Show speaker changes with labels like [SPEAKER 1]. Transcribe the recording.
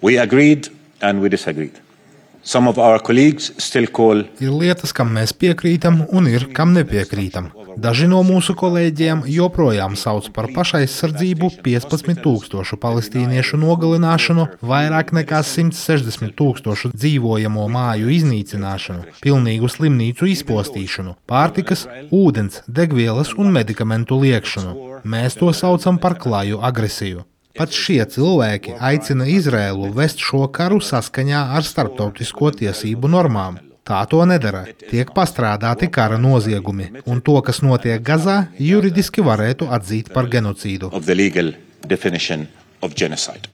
[SPEAKER 1] We agreed and we disagreed. Some of our colleagues still call.
[SPEAKER 2] Ir lietas, kam mēs piekrītam, un ir, kam nepiekrītam. Daži no mūsu kolēģiem joprojām sauc par pašaizsardzību 15,000 palestīniešu nogalināšanu, vairāk nekā 160,000 dzīvojamo māju iznīcināšanu, pilnīgu slimnīcu izpostīšanu, pārtikas, ūdens, degvielas un medikamentu liekšanu. Mēs to saucam par klaju agresiju. Pat šie cilvēki aicina Izraēlu vest šo karu saskaņā ar starptautisko tiesību normām. Tā to nedara. Tiek pastrādāti kara noziegumi, un to, kas notiek Gazā, juridiski varētu atzīt par genocīdu.